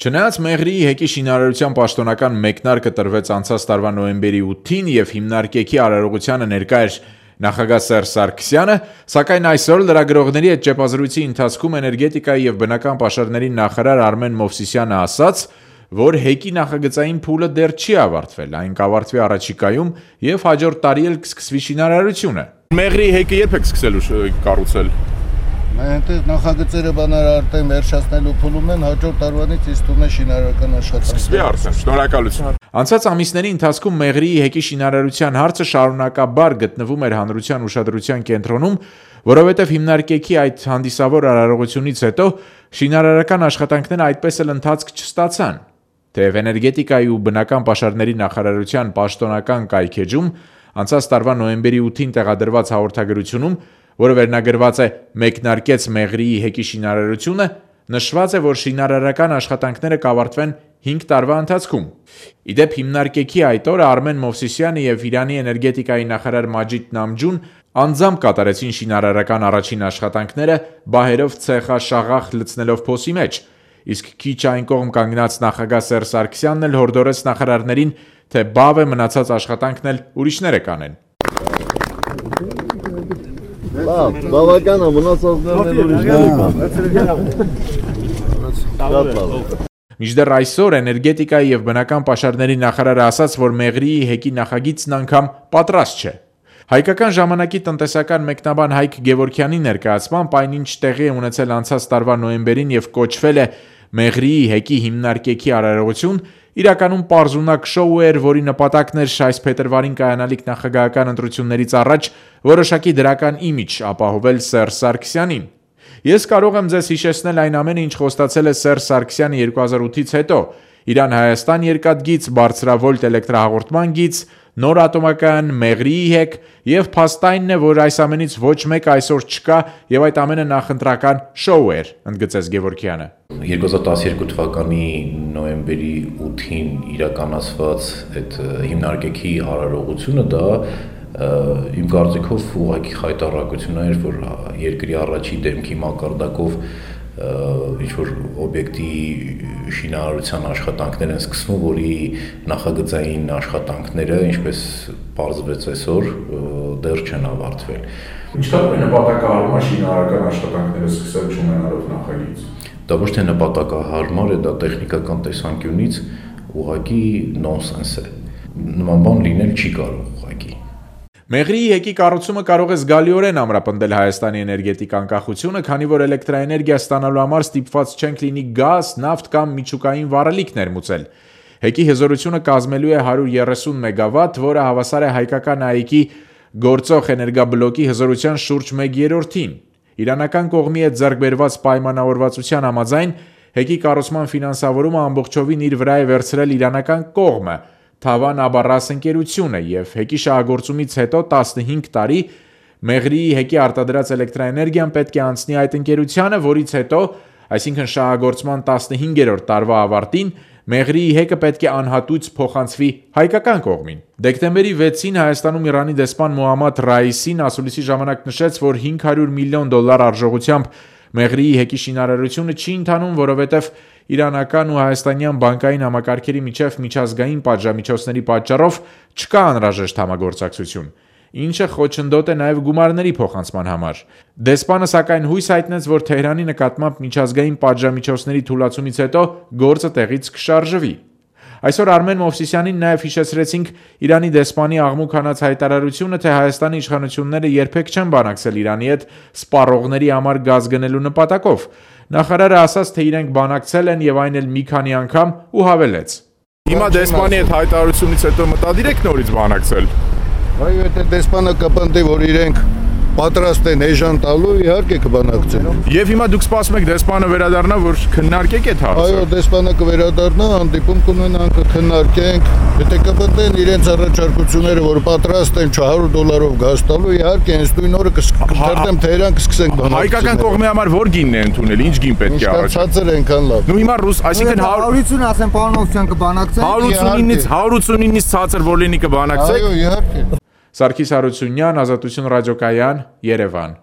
Չնայած Մեղրիի հեկի շինարարության պաշտոնական մեկնարկը տրվեց անցած տարվա նոյեմբերի 8-ին եւ հիմնարկեքի արարողությանը ներկա էր նախագահ Սերժ Սարգսյանը, սակայն այսօր լրագրողների հետ ճեպազրույցի ընթացքում էներգետիկայի եւ բնական պաշարների նախարար Արմեն Մովսիսյանը ասաց, որ հեկի նախագծային փուլը դեռ չի ավարտվել, այն կավարտվի առաջիկայում եւ հաջորդ տարի էլ կսկսվի շինարարությունը։ Մեղրիի հեկը երբ եք սկսելու կառուցել։ Մենք նախագծերը բանալարել վերջացնելու փուլում են, հաջորդ տարվանից իսկ տուն է շինարարական աշխատանքը։ Սկսվի արդեն, շնորհակալություն։ Անցած ամիսների ընթացքում Մեղրիի հեկի շինարարության հարցը շարունակաբար գտնվում էր հանրության ուշադրության կենտրոնում, որովհետև հիմնարկեքի այդ հանդիսավոր արարողությունից հետո շինարարական աշխատանքները այդպես էլ ընթացք չստացան։ Թեև էներգետիկայի ու բնական պաշարների նախարարության պաշտոնական կայքեջում անցած տարվա նոյեմբերի 8-ին տեղադրված հաղորդագրությունում, որը վերնագրված է «Մեկնարկեց Մեղրիի հեկի շինարարությունը», նշված է, որ շինարարական աշխատանքները կավարտվեն 5 տարվա ընթացքում։ Իդեպ հիմնարկեքի այդ օրը Արմեն Մովսիսյանը եւ Իրանի էներգետիկայի նախարար Մաջիդ Նամջուն անձամբ կատարեցին շինարարական առաջին աշխատանքները, բահերով ցեխաշաղախ լցնելով փոսի մեջ, իսկ քիչ այն կողմ կանգնած նախագահ Սերժ Սարգսյանն էլ հորդորեց նախարարներին, թե բավ է մնացած աշխատանքն էլ ուրիշները կանեն։ Բավական է, մնացածներն ուրիշները կանեն։ Մինչդեռ այսօր էներգետիկայի եւ բնական պաշարների նախարարը ասաց, որ Մեղրիի հեկի նախագիծն անգամ պատրաստ չէ։ Հայկական ժամանակի տնտեսական մեկնաբան Հայկ Գևորգյանի ներկայացմամբ այնինչ տեղի է ունեցել անցած տարվա նոյեմբերին եւ կոչվել է Մեղրիի հեկի հիմնարկեքի արարողություն, իրականում պարզունակ շոու էր, որի նպատակն էր այս փետրվարին կայանալիք նախագահական ընտրություններից առաջ որոշակի դրական իմիջ ապահովել Սերժ Սարգսյանին։ Ես կարող եմ ձեզ հիշեցնել այն ամենը, ինչ խոստացել է Սերժ Սարգսյանը 2008-ից հետո՝ Իրան-Հայաստան երկաթգիծ, բարձրավոլտ էլեկտրահաղորդման գիծ, նոր ատոմակայան, Մեղրիի հեկ եւ փաստայինն է, որ այս ամենից ոչ մեկը այսօր չկա եւ այդ ամենը նախընտրական շոու էր, ընդգծեց Գևորգյանը։ 2012 թվականի նոյեմբերի 8-ին իրականացված այդ հիմնարկեքի արարողությունը դա իմ կարծիքով ուղղակի խայտառակություն էր, որ երկրի առաջի դեմքի մակարդակով ինչ-որ օբյեկտի շինարարության աշխատանքներ են սկսվում, որի նախագծային աշխատանքները, ինչպես պարզվեց այսօր, դեռ չեն ավարտվել։ Ինչքան է նպատակահարմար շինարարական աշխատանքները սկսել չունենալով նախագիծ։ Դա ոչ թե նպատակահարմար է, դա տեխնիկական տեսանկյունից ուղղակի նոնսենս է։ Նման բան լինել չի կարող ուղղակի։ Մեղրիի հեկի կառուցումը կարող է զգալիորեն ամրապնդել Հայաստանի էներգետիկ անկախությունը, քանի որ էլեկտրաէներգիա ստանալու համար ստիպված չենք լինի գազ, նավթ կամ միջուկային վառելիք ներմուծել։ Հեկի հզորությունը կազմելու է 130 մեգավատ, որը հավասար է հայկական ԱԻԿ-ի գործող էներգաբլոկի հզորության շուրջ 1/3-ին։ Իրանական կողմի հետ ձեռքբերված պայմանավորվածության համաձայն հեկի կառուցման ֆինանսավորումը ամբողջովին իր վրա է վերցրել իրանական կողմը, Թավան Աբարաս ընկերությունը եւ հեկի շահագործումից հետո 15 տարի Մեղրիի հեկի արտադրած էլեկտրաէներգիան պետք է անցնի այդ ընկերությանը, որից հետո, այսինքն շահագործման 15-րդ տարվա ավարտին, Մեղրիի հեկը պետք է անհատույց փոխանցվի հայկական կողմին։ Դեկտեմբերի 6-ին Հայաստանում Իրանի դեսպան Մոհամմադ Ռայիսին ասուլիսի ժամանակ նշեց, որ $500 միլիոն արժողությամբ Մեղրիի հեկի շինարարությունը չի ընթանում, որովհետև իրանական ու հայաստանյան բանկային համակարգերի միջև միջազգային պատժամիջոցների պատճառով չկա անհրաժեշտ համագործակցություն, ինչը խոչընդոտ է նաև գումարների փոխանցման համար։ Դեսպանը սակայն հույս հայտնեց, որ Թեհրանի նկատմամբ միջազգային պատժամիջոցների թուլացումից հետո գործը տեղից կշարժվի։ Այսօր Արմեն Մովսիսյանին նաև հիշեցրեցինք Իրանի դեսպանի աղմուկ հանած հայտարարությունը, թե Հայաստանի իշխանությունները երբեք չեն բանակցել Իրանի հետ սպառողների համար գազ գնելու նպատակով։ Նախարարը ասաց, թե իրենք բանակցել են եւ այն էլ մի քանի անգամ ու հավելեց. Հիմա դեսպանի հետ հայտարարությունից հետո մտադիր եք նորից բանակցել։ Այո, եթե դեսպանը կպնդի, որ իրենք պատրաստ են էժան տալու, իհարկե կբանակցեն։ Եվ հիմա դուք սպասում եք դեսպանը վերադառնա, որ քննարկեք այդ հարցը։ Այո, դեսպանը կվերադառնա, հանդիպում կունենանք, կքննարկենք, եթե կպնդեն իրենց առաջարկությունները, որ պատրաստ են $100 գազ տալու, իհարկե հենց նույն օրը կթերթեմ Թեհրան կսկսենք բանակցել։ Հայկական կողմի համար որ գինն է ընդունել, ինչ գին պետք է առաջ։ Ցածր ենքան լավ։ Նու հիմա ռուս, այսինքն 180 ասեն պարոն Մովսիսյան կբանակցեն։ 189-ից ցածր որ լինի կբանակցեք։ Այո, իհարկե։ Սարգիս Հարությունյան, Ազատություն ռադիոկայան, Երևան։